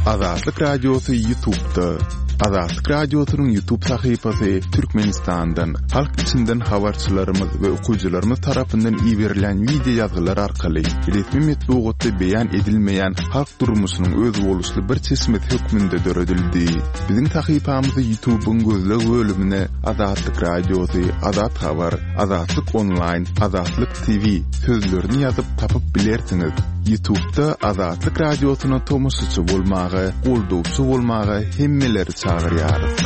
Azatlyk Radiosy Ýutubda. Azatlyk Radiosynyň Ýutub sahypasy Türkmenistandan, halk içinden habarçylarymyz we okyjylarymyz tarapyndan iberilýän wideo ýazgylar arkaly resmi metbugatda beýan edilmeýän halk durmuşynyň özboluşly bir çeşmesi hökmünde döredildi. Biziň sahypamyzy Ýutubyň gözleg bölümine Azatlyk Radiosy, Azat Habar, Azatlyk Onlaýn, Azatlyk TV sözlerini ýazyp tapyp bilersiňiz. Ýutubda Azatlyk Radiosyna tomaşaçy bolmaga, goldawçy bolmaga hemmeleri çagyrýarys.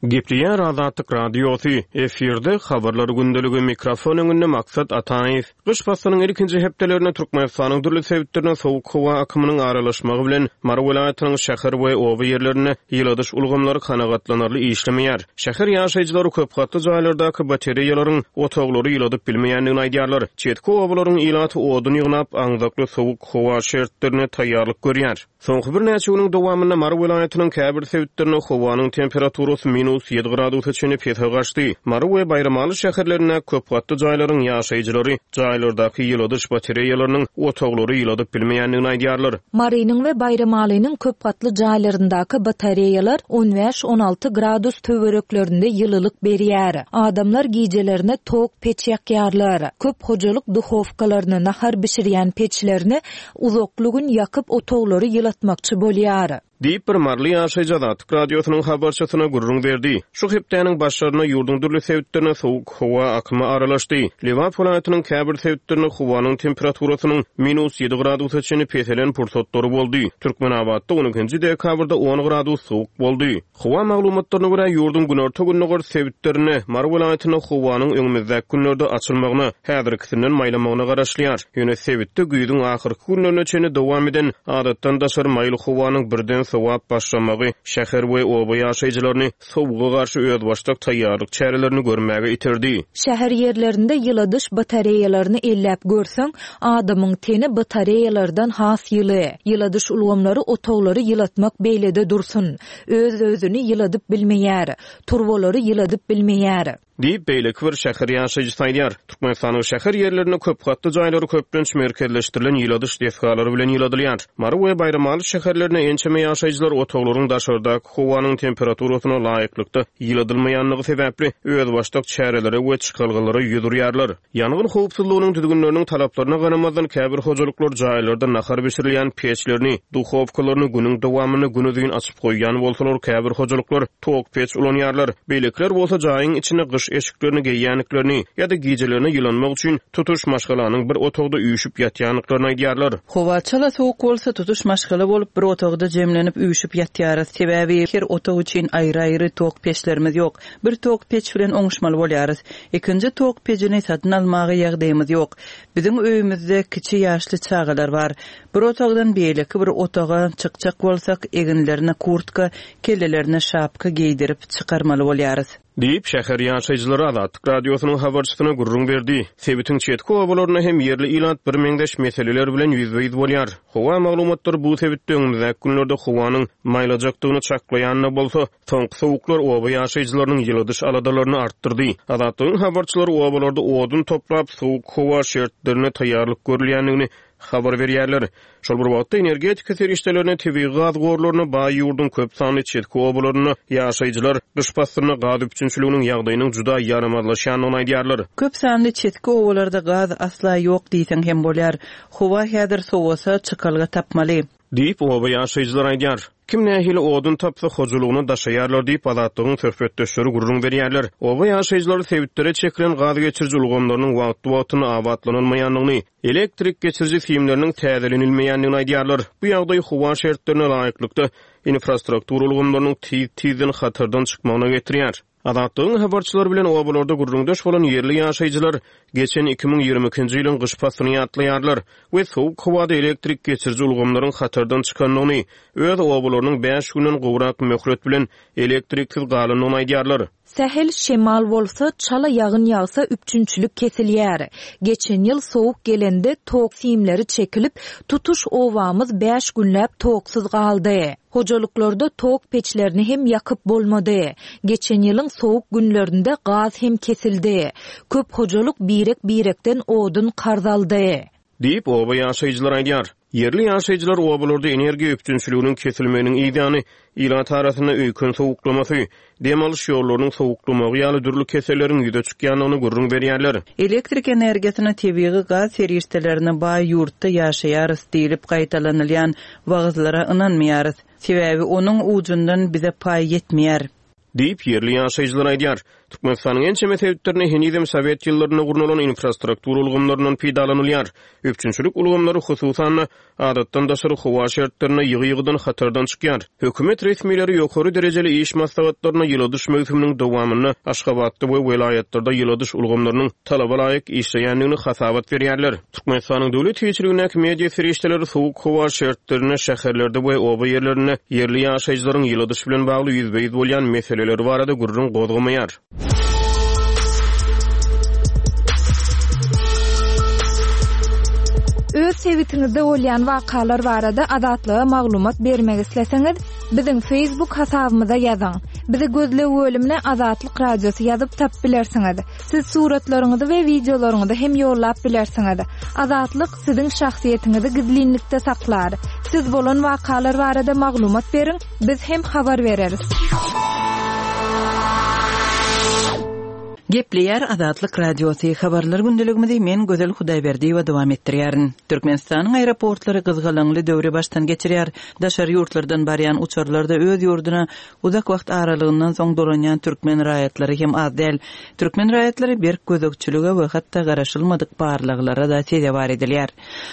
Gepleýär Azatlyk Radiosy, efirde Habarlar gündeligi, mikrofon öňünde Maksat Ataýew. Gyş paslynyň ilkinji hepdelerinde Türkmenistanyň dürli sebitlerine sowuk howa akymynyň aralaşmagy bilen, Mary welaýatynyň şäher we oba ýerlerinde ýyladyş ulgamlary kanagatlanarly işlemeýär. Şäher ýaşaýjylary köp gatly jaýlardaky batareýalaryň otaglary ýyladyp bilmeýändigini aýdýarlar. Çetki obalaryň ilaty odun ýygnap, aňzakly sowuk howa şertlerine taýýarlyk görýär. Soňky birnäçe günüň dowamynda Mary welaýatynyň käbir sebitlerinde howanyň temperaturasy minus ýedi gradusa çenli pese gaçdy. Mary we Baýramaly şäherlerindäki köp gatly jaýlaryň ýaşaýjylary jaýlardaky ýyladyş batareýalarynyň otaglary ýyladyp bilmeýändigini aýdýarlar. Marynyň we Baýramalynyň köp gatly jaýlaryndaky batareýalar on bäş-on alty gradus töwereklerinde ýylylyk berýär. Adamlar gijelerine tok peç ýakýarlar. Köp hojalyk duhowkalaryny, nahar bişirýän peçlerini uzakly gün ýakyp otaglary ýylatmakçy bolýar. Diýip, bir maryly ýaşaýjy Azatlyk Radiosynyň habarçysyna gürrüň berdi. Şu hepdäniň başlarynda ýurduň dürli sebitlerine sowuk howa akymy aralaşdy. Lebap welaýatynyň käbir sebitlerinde howanyň temperaturasynyň minus ýedi gradusa çenli peselen pursatlary boldy. Türkmenabatda on ikinji dekabrda on gradus sowuk boldy. Howa maglumatlaryna görä, ýurduň günorta-gündogar sebitlerinde, Mary welaýatynda howanyň öňümizdäki günlerde açylmagyna, häzirkisinden maýlamagyna garaşylýar. Ýöne sebitde güýzüň ahyrky günlerine çenli dowam eden adatdan daşary maýyl howanyň birden sowap başlamagy şäher we oba ýaşaýjylaryny sowuga garşy özbaşdak taýýarlyk çärelerini görmäge iterdi. Şäher ýerlerinde ýyladyş batareýalaryny elläp görseň, adamyň teni batareýalardan has ýyly. Ýyladyş ulgamlary otaglary ýylatmak beýlede dursun, öz-özüni ýyladyp bilmeýär, turbalary ýyladyp bilmeýär. Diýip, beýleki bir şäher ýaşaýjysy aýdýar. Türkmenistanyň şäher ýerlerinde köp gatly jaýlary köplenç merkezleşdirilen ýyladyş desgalary bilen ýyladylýar. Mary we Baýramaly şäherlerinde ençeme ýaşaýjylar otaglaryň daşardaky howanyň temperaturasyna laýyklykda ýyladylmaýandygy sebäpli özbaşdak çärelere we çykalgalara ýüz urýarlar. Ýangyn howpsuzlygynyň düzgünleriniň talaplaryna garamazdan, käbir hojalyklar jaýlarda nahar bişirilýän peçlerini, duhowkalaryny günüň dowamynda günuzyn açyp goýýan bolsalar, käbir hojalyklar tok peç ulanýarlar. Beýlekiler bolsa jaýyň içinde gyş eşiklerini geýýändiklerini ýa-da gijelerine ýylanmak üçin tutuş maşgalanyň bir otagda üýşüp ýatýandyklaryny aýdýarlar. Howa çala sowuk bolsa, tutuş maşgala bolup bir otagda jemlenip üýşüp ýatýarys. Sebäbi her otag üçin aýry-aýry tok peçlerimiz ýok. Bir tok peç bilen oňuşmaly bolýarys. Ikinji tok pejini satyn almaga ýagdaýymyz ýok. Biziň öýümizde kiçi ýaşly çagalar bar. Bir otagdan beýleki bir otaga çykjak bolsak, eginlerine kurtka, kellelerine şapka geýdirip çykarmaly bolýarys. Diýip, şäher ýaşaýjylary Azatlyk Radiosynyň habarçysyna gürrüň berdi. Sebitiň çetki obalarynda hem ýerli ilat birmeňzeş meseleler bilen ýüzbe-ýüz bolýar. Howa maglumatlary bu sebitde öňümizdäki günlerde howanyň maýlajakdygyny çaklaýan-da bolsa, Soňky sowuklar oba ýaşaýjylarynyň ýyladyş aladalaryny artdyrdy. Azatlygyň habarçylary obalarda odun toplap, sowuk howa şertlerine taýýarlyk görülýändigini habar berýärler. Şol bir wagtda, energetika serişdelerine, tebigy gaz gorlaryna baý ýurduň köp sanly çetki obalarynda ýaşaýjylar gyş paslynda gaz üpjünçiliginiň ýagdaýynyň juda ýaramazlaşýandygyny aýdýarlar. Köp sanly çetki obalarda gaz asla ýok diýseň hem bolýar. Howa häzir sowasa, çykalga tapmaly. Diýip, oba ýaşaýjylary aýdýar. Kim nähili odun tapsa, hojalygyna daşaýarlar diýip, Azatlygyň söhbetdeşleri gürrüň berýärler. Oba ýaşaýjylary sebitlere çekilen gaz geçiriji ulgamlarynyň wagtly-wagtynda abatlanylmaýandygyny, elektrik geçiriji simleriniň täzelenilmeýändigini aýdýarlar. Bu ýagdaý howa şertlerine laýyklykda infrastruktura ulgamlarynyň tiz-tizden hatardan çykmagyna getirýär. Azatlygyň habarçylary bilen obalarda gürrüňdeş bolan ýerli ýaşaýjylar geçen 2022-nji ýylyň gyş paslyny ýatlaýarlar we sowuk howada elektrik geçiriji ulgamlaryň hatardan çykandygyny, öz obalarynyň bäş günden gowrak möhlet bilen elektriksiz galandygyny aýdýarlar. Sähel şemal bolsa, çala ýagyn ýagsa üpjünçilik kesilýär. Geçen ýyl sowuk gelende tok simleri çekilip, tutuş obamyz bäş günläp toksuz galdy. Hojalyklarda tok peçlerini hem ýakyp bolmady. Geçen ýylyň sowuk günlerinde gaz hem kesildi. Köp hojalyk birek-birekden odun karz aldy. Diýip, oba ýaşaýjylary aýdýar. Ýerli ýaşaýjylar obalarda energiýa üpjünçiliginiň kesilmeginiň yzýany ilat arasynda öýken sowuklamasy, dem alyş ýollarynyň sowuklamagy ýaly dürli keselleriň ýüze çykýandygyny gürrüň berýärler. Elektrik energiýasyna tebigy gaz serişdelerine baý ýurtda ýaşaýarys diýlip gaýtalanylýan wagyzlara ynanmaýarys. Sebäbi onuň ujundan bize paý ýetmeýär. Diýip, ýerli ýaşaýjylar aýdýar. Türkmenistanyň ençeme sebitlerinde henizem sowet ýyllarynda gurnalan infrastruktura ulgamlaryndan peýdalanylýar. Üpjünçilik ulgamlary, hususan-da, adatdan daşary howa şertlerinde ýygy-ýygydan hatardan çykýar. Hökümet resmileri ýokary derejeli iş maslahatlarynda ýyladyş möwsüminiň dowamynda Aşgabatda we welaýatlarda ýyladyş ulgamlarynyň talaba laýyk işleýändigini hasabat berýärler. Türkmenistanyň döwlet eýeçiligindäki media serişdeleri sowuk howa şertlerinde şäherlerde we oba ýerlerinde ýerli ýaşaýjylaryň ýyladyş bilen bagly ýüzbe-ýüz bolýan meseleleri barada gürrüň gozgamaýar. Öz sebitiňizde bolýan wakalar barada Azatlyga maglumat bermek isleseňiz, biziň Facebook hasabymyza ýazyň. Bizi gözleg bölümine Azatlyk Radiosy ýazyp tapyp bilersiňiz. Siz suratlaryňyzy we wideolaryňyzy hem ýollap bilersiňiz. Azatlyk siziň şahsyýetiňizi gizlinlikde saklar. Siz bolan wakalar barada maglumat beriň, biz hem habar bereris. Gepleýär Azatlyk Radiosy, Habarlar gündeligimizi men Gözel Hudaýberdiýewa dowam etdirýärin. Türkmenistanyň aeroportlary gyzgalaňly döwri başdan geçirýär. Daşary ýurtlardan barýan uçarlarda öz ýurduna Uzak wagt aralygyndan soň dolanýan türkmen raýatlary hem az däl. Türkmen raýatlary berk gözegçilige we hatda garaşylmadyk barlaglara-da sezewar edilýär.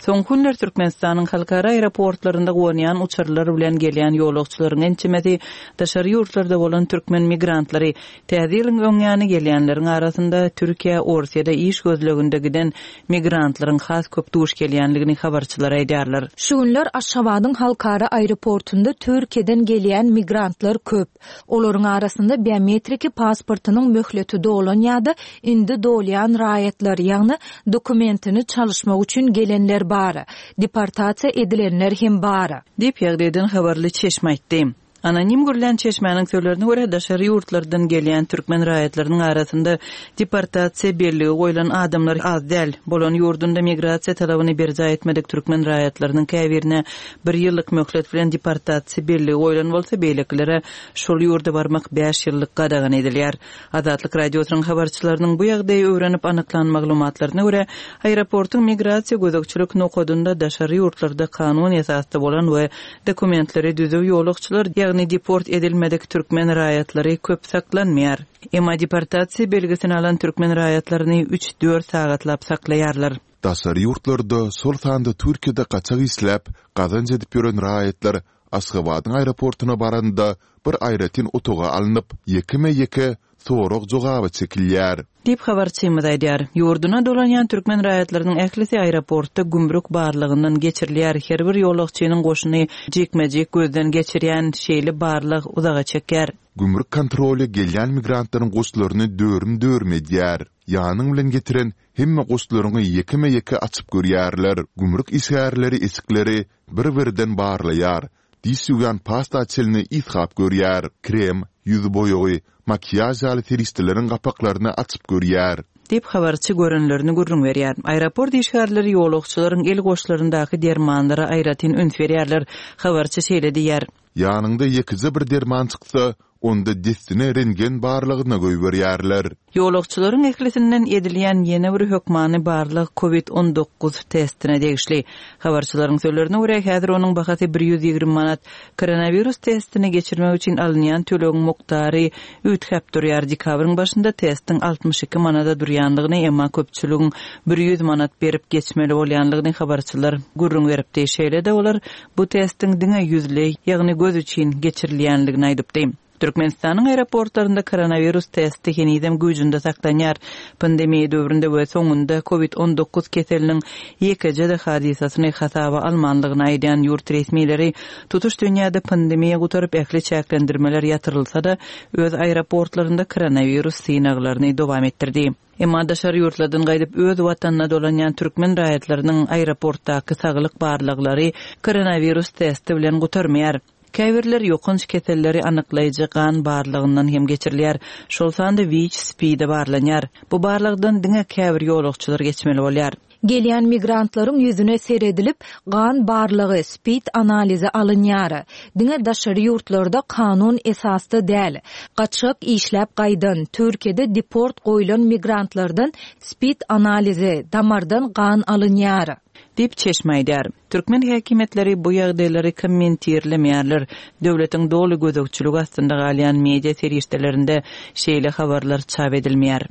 Soňky günler Türkmenistanyň halkara aeroportlarynda gonýan uçarlar bilen gelýän ýolagçylaryň ençemesi daşary ýurtlarda bolan türkmen migrantlary. Täze ýylyň öň ýany gelýänleriň arasynda Türkiýä, Orsýede iş gözleginde giden migrantlaryň has köp duş gelýändigini habarçylar aýdýarlar. Şu günler Aşgabadyň halkara aeroportunda Türkiýeden gelýän migrantlar köp. Olaryň arasynda biometriki pasportynyň möhleti dolan ýa-da indi dolýan raýatlar, ýagny dokumentini çalyşmak üçin gelenler bar. Deportasiýa edilenler hem bar. Diýip, ýagdaýdan habarly çeşme aýtdy. Anonim gürlän çeşmäniň sözlerine görä, daşary ýurtlardan gelýän türkmen raýatlarynyň arasynda deportasiýa belligi goýlan adamlar az däl. Bolan ýurdunda migrasiýa talabyny berjaý etmedik türkmen raýatlarynyň käbirine bir ýyllyk möhlet bilen deportasiýa belligi goýlan bolsa, beýlekilere şol ýurda barmak bäş ýyllyk gadagan edilýär. Azatlyk Radiosynyň habarçylarynyň bu ýagdaýy öwrenip anyklan maglumatlaryna görä, aeroportuň migrasiýa gözegçilik nokadynda daşary ýurtlarda kanun esasda bolan we dokumentleri düzüw ýolagçylar, ýagny deport edilmedik türkmen raýatlary köp saklanmaýar. Emma deportasiýa belgisini alan türkmen raýatlaryny üç-dört sagatlap saklaýarlar. Daşary ýurtlarda, şol sanda Türkiýede gaçak işläp, gazanç edip ýören raýatlar Aşgabadyň aeroportuna baranda bir aýratyn otaga alnyp, ýekeme-ýeke sorag-jogaba çekilýär. Diýip, habarçymyz aýdýar. Ýurduna dolanýan türkmen raýatlarynyň ählisi aeroportda gümrük barlagyndan geçirilýär. Her bir ýolagçynyň goşuny jikme-jik gözden geçirýän şeýle barlag uzaga çekýär. Gümrük kontroly gelýän migrantlaryň goşlaryny dörüm-dörüm edýär. Ýanyň bilen getiren hemme goşlaryňy ýekeme-ýeke açyp görýärler. Gümrük işgärleri eşikleri bir-birden barlaýar, diş ýuwýan pasta çenli ysgap görýär, krem, ýüz boýagy, makiýaž ýaly serişdeleriň gapaklaryny açyp görýär. Diýip, habarçy görenlerini gürrüň berýär. Aeroport işgärleri ýolagçylaryň el goşlaryndaky dermanlara aýratyn üns berýärler. Habarçy şeýle diýýär. Ýanyňda ýekeje bir derman çyksa, onda dessine rentgen barlagyna goýberýärler. Ýolagçylaryň ählisinden edilýän ýene bir hökmany barlag Covid 19 testine degişli. Habarçylaryň sözlerine görä, häzir onuň bahasy 120 manat. Koronawirus testini geçirmek üçin alynýan tölegiň mukdary üýtgäp durýar. Dekabryň başynda testiň 62 manada durýandygyny, emma köpçüligiň 100 manat berip geçmeli bolýandygyny habarçylar gürrüň beripdi. Şeýle-de olar Bu testiň diňe ýüzleý, ýagny göz üçin geçirilýändigini aýdypdy. Türkmenistanyň aeroportlarynda koronawirus testi henizem güýjünde saklanýar. Pandemiýa döwründe we soňunda Covid 19 keseliniň ýekeje-de hadysasyny hasaba almanlygyny aýdýan ýurt resmileri tutuş dünýäde pandemiýa gutaryp ähli çäklendirmeler ýatyrylsa-da, öz aeroportlarynda koronawirus synaglaryny dowam etdirdi. Emma daşary ýurtlardan gaýdyp öz watanyna dolanýan türkmen raýatlarynyň aeroportdaky saglyk barlaglary koronawirus testi bilen gutarmaýar. Käbirler ýokanç keselleri anyklaýjy gan barlagyndan hem geçirilýär, şol sanda WIÇ, SPID-e barlanýar. Bu barlagdan diňe käbir ýolagçylar geçmeli bolýar. Gelýän migrantlaryň ýüzüne seredilip, gan barlagy, spid analizi alynýar. Diňe daşary ýurtlarda kanun esasda däl, gaçgak işläp gaýdan, Türkiýede deport goýlan migrantlardan spid analizi, damardan gan alynýar. Diýip, çeşme aýdýar. Türkmen häkimiýetleri bu ýagdaýlary kommentirlemeýärler. Döwletiň doly gözegçiligi astynda galýan media serişdelerinde şeýle habarlar çap edilmeýär.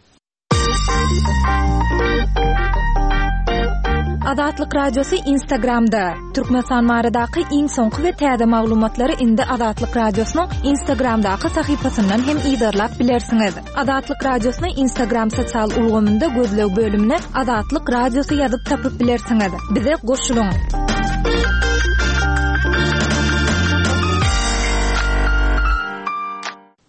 Azatlyk Radiosy Instagramda, Türkmenistan baradaky iň soňky we täze maglumatlary indi Azatlyk Radiosynyň Instagramdaky sahypasyndan hem yzarlap bilersiňiz. Azatlyk Radiosyny Instagram sosial ulgamynda gözleg bölümine Azatlyk Radiosy ýazyp tapyp bilersiňiz. Bize goşulyň!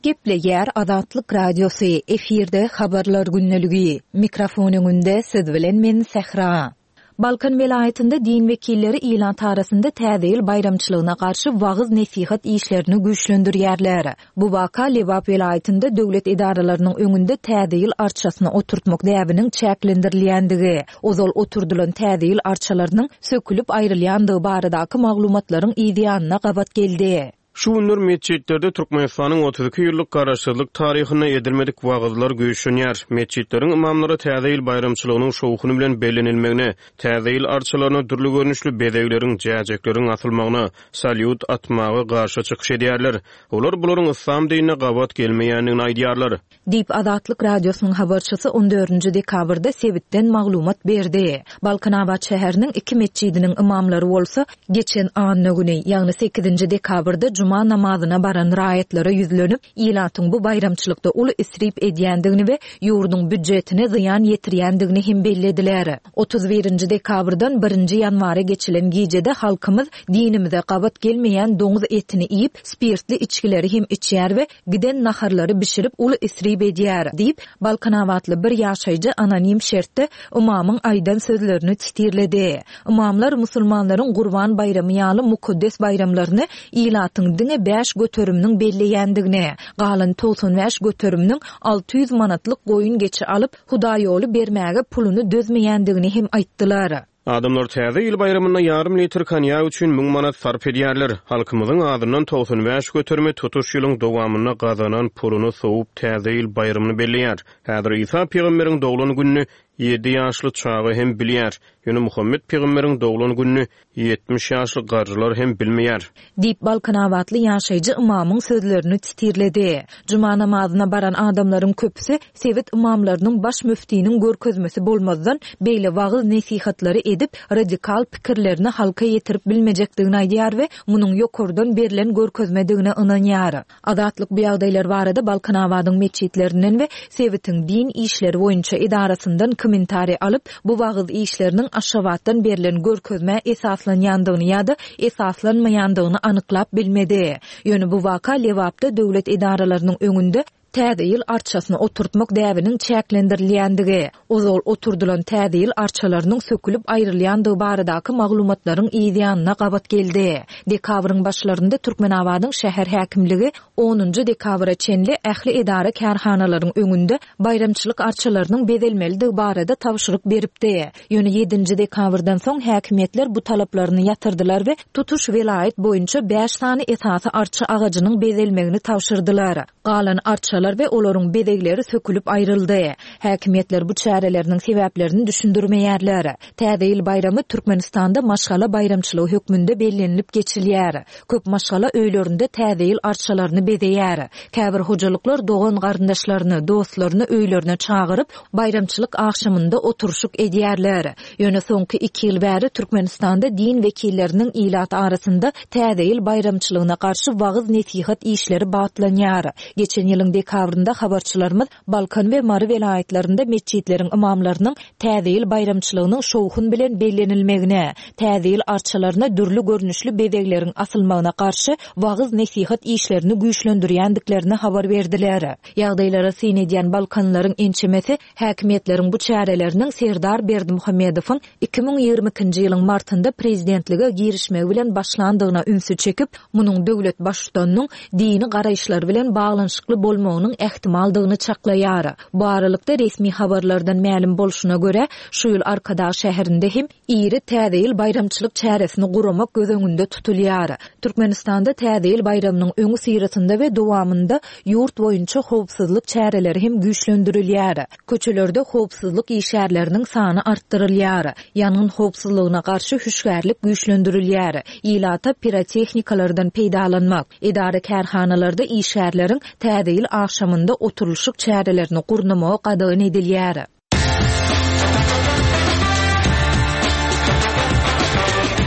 Gepleýär Azatlyk Radiosy, efirde Habarlar gündeligi. Mikrofon öňünde siz bilen men Sähra. Balkan welaýatynda din wekilleri ilat arasynda Täze ýyl baýramçylygyna garşy wagyz-nesihat işlerini güýçlendirýärler. Bu waka Lebap welaýatynda döwlet edaralarynyň öňünde Täze ýyl arçasyny oturtmak däbiniň çäklendirilýändigi, ozal oturdylan Täze ýyl arçalarynyň sökülip aýrylýandygy baradaky maglumatlaryň yzýanyna gabat geldi. Şu günler metjitlerde Türkmenistanyň 32 ýyllyk garaşsyzlyk taryhynda edilmedik wagyzlar güýçlenýär. Metjitleriň ymamlary Täze ýyl baýramçylygynyň şowhuny bilen bellenilmegine, Täze ýyl arçalaryna dürli görnüşli bezegleriň, jäjekleriň asylmagyna, salýut atmaga garşy çykyş edýärler. Olar bularyň yslam dinine gabat gelmeýändigini aýdýarlar. Diýip, Azatlyk Radiosynyň habarçysy on dördünji dekabrda sebitden maglumat berdi. Balkanabat şäheriniň iki metjidiniň ymamlary bolsa, geçen anna güni, ýagny sekizinji dekabrda juma namazyna baran raýatlara ýüzlenip, ilatyň bu baýramçylykda uly isrip edýändigini we ýurduň býudjetine zyýan ýetirýändigini hem bellediler. 31 nji dekabrdan birinji ýanwara geçilen gijede halkymyz dinimize gabat gelmeýän doňuz etini iýip, spirtli içgileri hem içýär we giden naharlary bişirip uly isrip edýär, diýip, balkanabatly bir ýaşaýjy anonim şertde ymamyň aýdan sözlerini sitirledi. Ymamlar musulmanlaryň Gurban baýramy ýaly mukaddes baýramlaryny ilatyň diňe bäş göteriminiň belleýändigini, galan 95 göteriminiň 600 manatlyk goýun-geçi alyp, hudaýýoly bermäge puluny dözmeýändigini hem aýtdylar. Adamlar Täze ýyl baýramynda ýarym litr konýak üçin müň manat sarp edýärler. Halkymyzyň azyndan 95 göterimi tutuş ýylyň dowamynda gazanan puluny sowup Täze ýyl baýramyny belleýär. Häzir Isa pygamberiň doglan gününi ýedi ýaşly çaga hem bilýär. Ýöne Muhammet pygamberiň doglan gününi 70 ýaşly garrylar hem bilmeýär. Diýip, balkanabatly ýaşaýjy ymamyň sözlerini titirledi. Juma namazyna baran adamlaryň köpüsi sebit ymamlarynyň baş müftiniň görkezmesi bolmazdan, beýle wagyz-nesihatlary edip, radikal pikirlerini halka ýetirip bilmejekdigini aýdýar we munuň ýokardan berlen görkezmedigine ynanýar. Azatlyk bu ýagdaýlar barada Balkanabadyň metjitlerinden we sebitiň din işleri boýunça edarasyndan kommentariý alyp, bu wagyz işleriniň Aşgabatdan berlen görkezmä esaslanýandygyny ýa-da esaslanmaýandygyny anyklap bilmedi. Ýöne bu waka Lebapda döwlet edaralarynyň öňünde Täze ýyl arçasyny oturtmak däbiniň çäklendirilýändigi, ozal oturdylan Täze ýyl arçalarynyň sökülip aýrylýandygy baradaky maglumatlaryň yzýanyna gabat geldi. Dekabryň başlarynda Türkmenabadyň şäher häkimligi onunjy dekabra çenli ähli edara-kärhanalaryň öňünde baýramçylyk arçalarynyň bezelmelidigi barada tabşyryk beripdi. Ýöne ýedinji dekabrdan soň häkimiýetler bu talaplaryny ýatyrdylar we tutuş welaýat boýunça bäş sany esasy arça agajynyň bezelmegini tabşyrdylar. Galan arçalar we olaryň bezegleri sökülip aýryldy. Häkimiýetler bu çäreleriniň sebäplerini düşündirmeýärler. Täze ýyl baýramy Türkmenistanda maşgala baýramçylygy hökmünde bellenilip geçilýär. Köp maşgala öýlerinde Täze ýyl arçalaryny bezeýär. Käbir hojalyklar dogan-garyndaşlaryny, dostlaryny öýlerine çagyryp, baýramçylyk agşamynda oturyşyk edýärler. Ýöne soňky iki ýyl bäri Türkmenistanda din wekilleriniň ilat arasynda Täze ýyl baýramçylygyna garşy wagyz-nesihat işleri batlanýar. Geçen ýylyň dekabrynda. dekabrynda habarçylarymyz Balkan we Mary welaýatlarynda metjitleriň ymamlarynyň Täze ýyl baýramçylygynyň şowhun bilen bellenilmegine, Täze ýyl arçalaryna dürli görnüşli bezegleriň asylmagyna garşy wagyz-nesihat işlerini güýçlendirýändiklerini habar berdiler. Ýagdaýlara syn edýän balkanlylaryň ençemesi häkimiýetleriň bu çäreleriniň Serdar Berdimuhamedowyň 2022-nji ýylyň martynda prezidentlige girişmegi bilen başlandygyna ünsi çekip, munuň döwlet Baştutanynyň dini garaýyşlary bilen baglanyşykly bolmagynyň ähtimaldygyny çaklaýar. Bu aralykda, resmi habarlardan mälim bolşuna görä, şu ýyl Arkadag şäherinde hem iri Täze ýyl baýramçylyk çäresini guramak göz öňünde tutulýar. Türkmenistanda Täze ýyl baýramynyň öňüsyrasynda we dowamynda ýurt boýunça howpsuzlyk çäreleri hem güýçlendirilýär. Köçelerde howpsuzlyk işgärleriniň sany artdyrylýar. Ýangyn howpsuzlygyna garşy hüşgärlik güýçlendirilýär. Ilata pirotehnikalardan peýdalanmak, edara-kärhanalarda işgärleriň Täze ýyl agşamynda oturylyşyk çärelerini gurnamagy gadagan edilýär.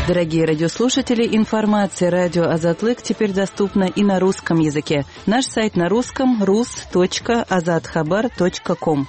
Дорогие радиослушатели, информация радио Азатлык теперь доступна и на русском языке. Наш сайт на русском rus.azathabar.com.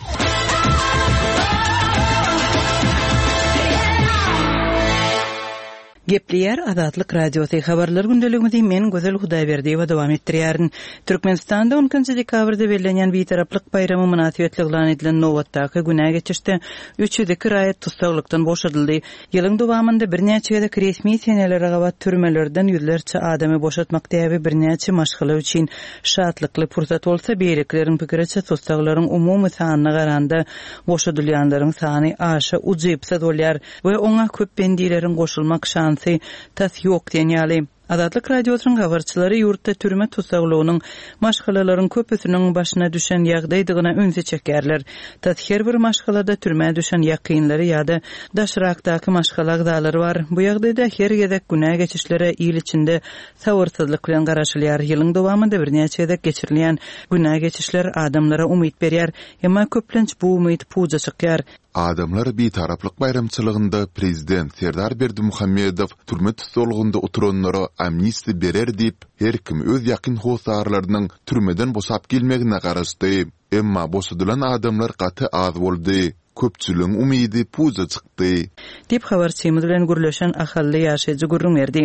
Gepleýär Azatlyk Radiosy, Habarlar gündeligimizi men Gözel Hudaýberdiýewa dowam etdirýärin. Türkmenistanda on ikinji dekabrda bellenýän Bitaraplyk baýramy mynasybetli yglan edilen nobatdaky günä geçişde 302 raýat tussaglykdan boşadyldy. Ýylyň dowamynda birnäçe gezek resmi senelere gabat türmelerden ýüzlerçe adamy boşatmak däbi birnäçe maşgala üçin şatlykly pursat bolsa, beýlekileriň pikiriçe tussaglaryň umumy sanyna garanda boşadylýanlaryň sany aşa ujypsyz bolýar we oňa köp bendileriň goşulmak şansy tas ýok diýen ýaly. Azatlyk Radiosynyň habarçylary ýurtda türme tussaglygynyň maşgalalaryň köpüsiniň başyna düşen ýagdaýdygyna ünsi çekýärler. Tas her bir maşgalada türmä düşen ýakynlary ýa-da daşrakdaky maşgala agzalary bar. Bu ýagdaýda her gezek günä geçişlere il içinde sabyrsyzlyk bilen garaşylýar. Ýylyň dowamynda birnäçe gezek geçirilýän günä geçişler adamlara umyt berýär. Emma köplenç bu umyt puja çykýar. Adamlar Bitaraplyk baýramçylygynda prezident Serdar Berdimuhamedow türme tussaglygynda oturanlara amnistiýa berer diýip, her kim öz ýakyn hossarlarynyň türmeden boşap gelmegine garaşdy. Emma boşadylan adamlar gaty az boldy. Köpçüligiň umydy puja çykdy. Diýip, habarçymyz bilen gürleşen ahally ýaşaýjy gürrüň berdi.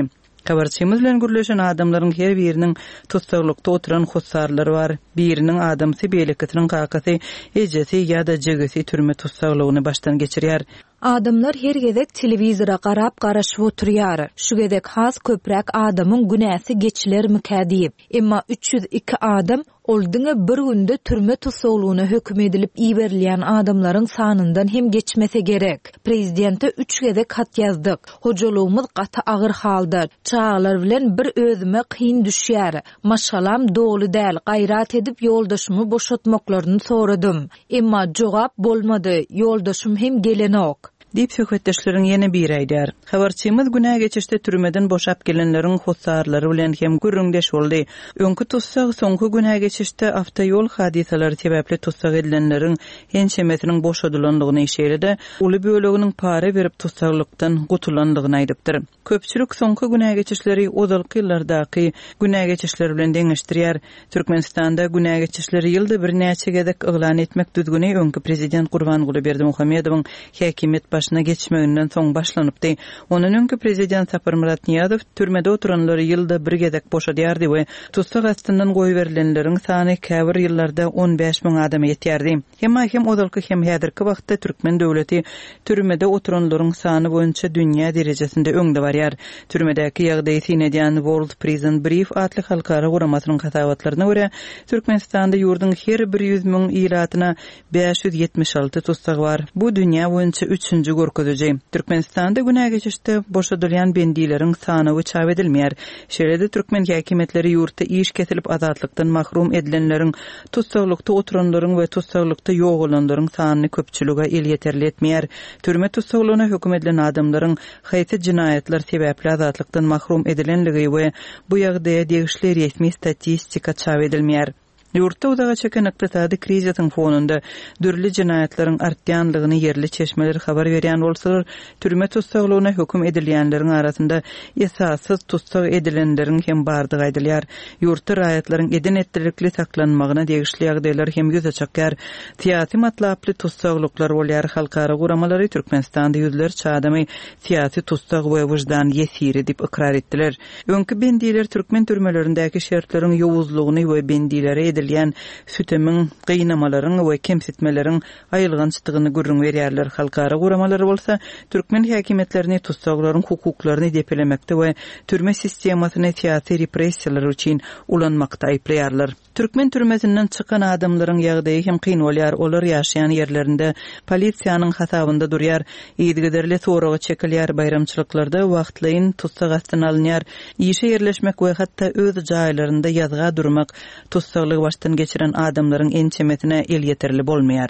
Habarçymyz bilen gürleşen adamlaryň her biriniň tussaglykda oturan hossarlary bar. Biriniň adamsy, beýlekisiniň kakasy, ejesi ýa-da jigisi türme tussaglygyny başdan geçirýär. Adamlar her gezek telewizora garap garaşyp oturýar. Şu gezek has köpräk adamyň günäsi geçilermikä diýip. Emma 302 adam Ol diňe bir günde türme tussaglygyna höküm edilip iberilýän adamlaryň sanyndan hem geçmese gerek. Prezidente üç gezek hat ýazdyk. Hojalygymyz gaty agyr halda. Çagalar bilen bir özüme kyn düşýär. Maşgalam doly däl, gaýrat edip ýoldaşymy boşatmaklaryny soradym. Emma jogap bolmady, ýoldaşym hem gelenok. Diýip, söhbetdeşleriň ýene biri aýdýar. Habarçymyz günä geçişde türmeden boşap gelenleriň hossarlary bilen hem gürrüňdeş boldy. Öňki tussag soňky günä geçişde awtoýol hadysalary sebäpli tussag edilenleriň ençemesiniň boşadylandygyny, şeýle-de uly böleginiň para berip tussaglykdan gutulandygyny aýdypdyr. Köpçülik soňky günä geçişleri ozalky ýyllardaky günä geçişler bilen deňeşdirýär. Türkmenistanda günä geçişleri ýylda birnäçe gezek yglan etmek düzgüni öňki prezident Gurbanguly Berdimuhamedowyň häkimiýet başyna geçmeginden soň başlanypdy. Ondan öňki prezident Saparmyrat Nyýazow türmede oturanlary ýylda bir gezek boşadýardy we tussag astyndan goýberilenleriň sany käbir ýyllarda 15 müň adama ýetýärdi. Emma hem ozalky hem häzirki wagtda türkmen döwleti türmede oturanlaryň sany boýunça dünýä derejesinde öňde barýar. Türmedäki ýagdaýy syn edýän World Prison Brief atly halkara guramasynyň hasabatlaryna görä, Türkmenistanda ýurduň her bir 100 müň ilatyna 576 tussag bar. Bu dünýä boýunça üçünji görkeziji. Türkmenistanda günä geçişde boşadylýan bendileriň sanawy çap edilmeýär. Şeýle-de türkmen häkimiýetleri ýurtda iş kesilip azatlykdan mahrum edilenleriň Tussaglykda oturanlaryň we tussaglykda ýogalanlaryň sanyny köpçülige elýeterli etmeýär. Türme tussaglygyna höküm edilen adamlaryň haýsy jenaýatlar sebäpli azatlykdan mahrum edilenligi we bu ýagdaýa degişli resmi statistika çap edilmeýär. Ýurtda uzaga çeken ykdysady krizisiň fonunda dürli jenaýatlaryň artýanlygyny ýerli çeşmeler habar berýän bolsalar, türme tussaglygyna höküm edilýänleriň arasynda esassyz tussag edilenleriň hem bardygy aýdylýar. Ýurtda raýatlaryň eden-etdilikli saklanmagyna degişli ýagdaýlar hem ýüze çykýar. Syýasy matlaply tussaglyklar bolýar. Halkara guramalary Türkmenistanda ýüzlerçe adamy syýasy tussag we wyždan ýesiri diýip ykrar etdiler. Öňki bendiler türkmen türmelerindäki şertleriň ýowuzlygyny we bendilere edilýän sütemiň, gynamalaryň we kemsitmeleriň aýylgançdygyny gürrüň berýärler. Halkara guramalary bolsa türkmen häkimiýetlerini tussaglaryň hukuklaryny depelemekde we türme sistemasyny syýasy repressiýalar üçin ulanmakda aýyplaýarlar. Türkmen türmesinden çykan adamlaryň ýagdaýy hem kyn bolýar, olar ýaşaýan ýerlerinde polisiýanyň hasabynda durýar, yzygiderli soraga çekilýär, baýramçylyklarda wagtlaýyn tussag astyna alynýar, işe ýerleşmek we hatda öz jaýlarynda ýazga durmak tussaglygy başdan geçiren adamlaryň ençemesine elýeterli bolmaýar.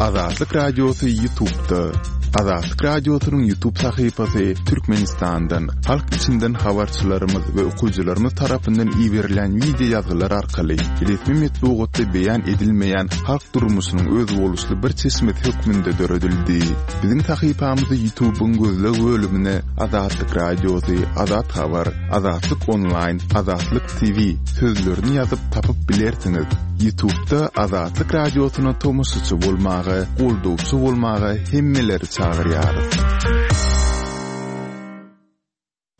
Azatlyk Radiosy YouTube'da. Azatlyk Radiosynyň YouTube sahypasy Türkmenistandan, halk içinden habarçylarymyz we okyjylarymyz tarapyndan iberilen wideo ýazgylar arkaly resmi metbugatda beýan edilmeýän halk durmuşynyň özboluşly bir çeşmesi hökmünde döredildi. Biziň sahypamyzy YouTube'yň gözleg bölümine Azatlyk Radiosy, Azat Habar, Azatlyk Onlaýn, Azatlyk TV sözlerini ýazyp tapyp bilersiňiz. Ýutubda Azatlyk Radiosyna tomaşaçy bolmaga, goldawçy bolmaga hemmeleri çagyrýarys.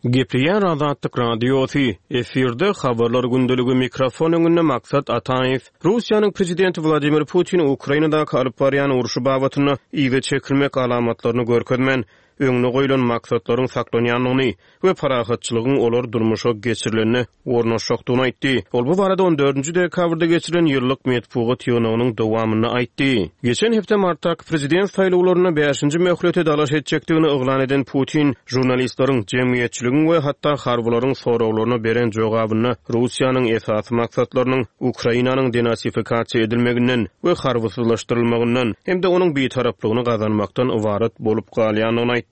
Gepleýär Azatlyk Radiosy, efirde Habarlar gündeligi mikrofon öňünde Maksat Ataýew. Russiýanyň prezidenti Wladimir Putin Ukrainadaky alyp barýan urşy babatynda yza çekilmek alamatlaryny görkezmän, öňde goýlan maksatlaryň saklanýandygyny we parahatçylygyň olar durmuşa geçirilende ornaşjakdygyny aýtdy. Ol bu barada on dördünji dekabrda geçirilen ýyllyk metbugat ýygnagynyň dowamynda aýtdy. Geçen hepde martdaky prezident saýlawlarynda bäşinji möhlete dalaş etjekdigini yglan eden Putin žurnalistleriň, jemgyýetçiligiň we hatda harbylaryň soraglaryna beren jogabynda Russiýanyň esasy maksatlarynyň Ukrainanyň denasifikasiýa edilmeginden we harbysyzlaşdyrylmagyndan hem-de onuň bitaraplygyny gazanmakdan ybarat bolup galýandygyny aýtdy.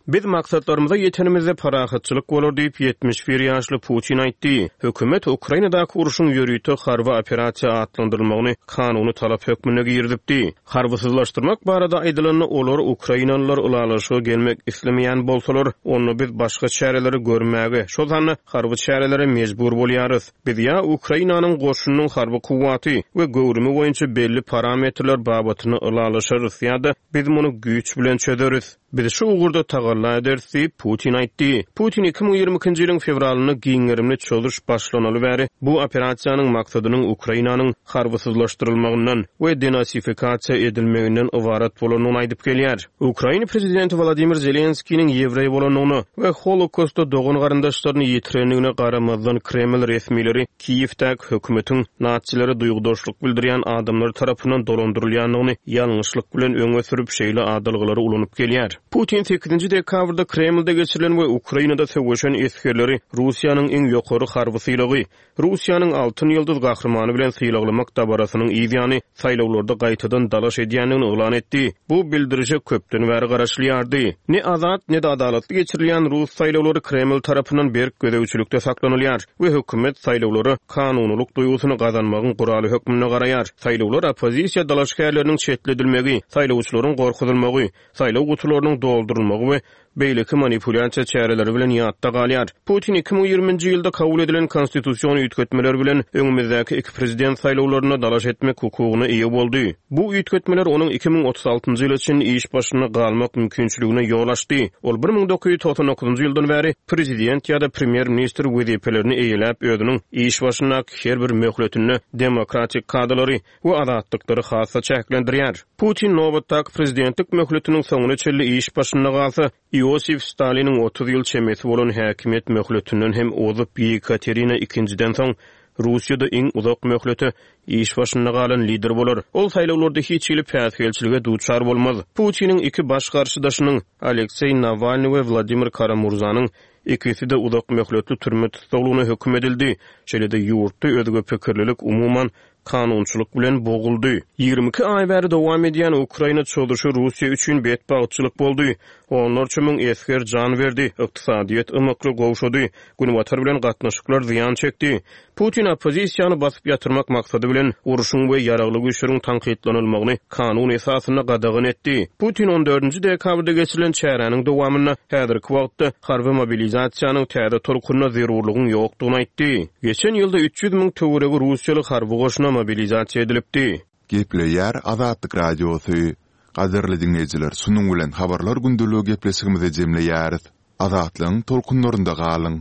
Biz maksatlarymyza ýetenimizde parahatçylyk bolar diýip, 71 ýaşly Putin aýtdy. Hökümet Ukrainadaky urşuň ýörite harby operasiýa atlandyrylmagyny kanuny talap hökmünde girizipdi. Harbysyzlaşdyrmak barada aýdylanda, olar, ukrainalylar ylalaşyga gelmek islemeýän bolsalar, onda biz başga çäreleri görmäge, şol sanda harby çärelere mejbur bolýarys. Biz ýa Ukrainanyň goşunynyň harby kuwwaty we göwrümi boýunça belli parametrler babatynda ylalaşarys ýa-da biz muny güýç bilen çözeris. Biz şu ugurda tagalla ederis diýip, Putin aýtdy. Putin 2022-nji ýylyň fewralynda giň gerimli çozuş başlanaly bäri bu operasiýanyň maksadynyň Ukrainanyň harbysyzlaşdyrylmagyndan we denasifikasiýa edilmeginden ybarat bolandygyny aýdyp gelýär. Ukraina prezidenti Wolodymyr Zelenskiniň ýewreý bolandygyna we Holokostda dogan-garyndaşlaryny ýitirendigine garamazdan Kreml resmileri Kiýewdäki hökümetiň natsilere duýgudaşlyk bildirýän adamlar tarapyndan dolandyrylýandygyny ýalňyşlyk bilen öňe sürüp şeýle adalgalary ulanyp gelýär. Putin sekizinji dekabrda Kremlde geçirilen we Ukrainada söweşen esgerleri Russiýanyň iň ýokary harby sylagy, Russiýanyň Altyn ýyldyz gahrymany bilen sylaglamak dabarasynyň yz ýany saýlawlarda gaýtadan dalaş edýändigini yglan etdi. Bu bildirişe köpden bäri garaşylýardy. Ne azat, ne-de adalatly geçirilýän rus saýlawlary Kreml tarapyndan berk gözegçilikde saklanylýar we hökümet saýlawlara kanunylyk duýgusyny gazanmagyň guraly hökmünde garaýar. Saýlawlar oppozisiýa dalaşgärleriniň çetledilmegi, saýlawçylaryň gorkuzylmagy, saýlaw gutularynyň doldurylmagy we beýleki manipulýasiýa çäreleri bilen ýatda galýar. Putin 2020-nji ýylda kabul edilen konstitusion üýtgetmeler bilen öňümizdäki iki prezident saýlawlarynda dalaş etmek hukugyna eýe boldy. Bu üýtgetmeler onuň 2036-njy ýyla çenli iş başynda galmak mümkinçiligine ýol açdy. Ol 1999-njy ýyldan bäri prezident ýa-da premýer-ministr wezipelerini eýeläp, özüniň iş başyndaky her bir möhletinde demokratik kadalary we azatlyklary has-da çäklendirýär. Putin nobatdaky prezidentlik möhletiniň soňuna çenli iş başynda galsa, Iosif Staliniň 30 ýyl çemesi bolan häkimiýet möhletinden hem ozup, Ýekaterina II-den soň Russiýada iň uzak möhlete iş başynda galan lider bolar. Ol saýlawlarda hiç hili päsgelçilige duçar bolmaz. Putiniň iki baş garşydaşynyň, Alekseý Nawalnyý we Wladimir Kara-Murzanyň ikisi-de uzak möhletli türme tussaglygyna höküm edildi. Şeýle-de ýurtda özge pikirlilik umuman. kanunçylyk bilen boguldy. 22 aý bäri dowam edýän Ukraina çozuşy Russiýa üçin betbagtçylyk boldy. Onlarça müň esger jan berdi, ykdysadyýet ymykly gowşady, Günbatar bilen gatnaşyklar zyýan çekdi. Putin oppozisiýany basyp ýatyrmak maksady bilen, urşuň we ýaragly güýçleriň tankytlanylmagyny kanun esasynda gadagan etdi. Putin on dördünji dekabrda geçirilen çäräniň dowamynda häzirki wagtda harby mobilizasiýanyň täze tolkunyna zerurlygyň ýokdugyny aýtdy. Geçen ýylda 300 müň töweregi russiýaly harby goşuna mobilizasiýa edilipdi. Gepleýär Azatlyk Radiosy. Gadyrly diňleýjiler şunuň bilen Habarlar gündeligi gepleşigimizi jemleýäris. Azatlygyň tolkunlarynda galyň!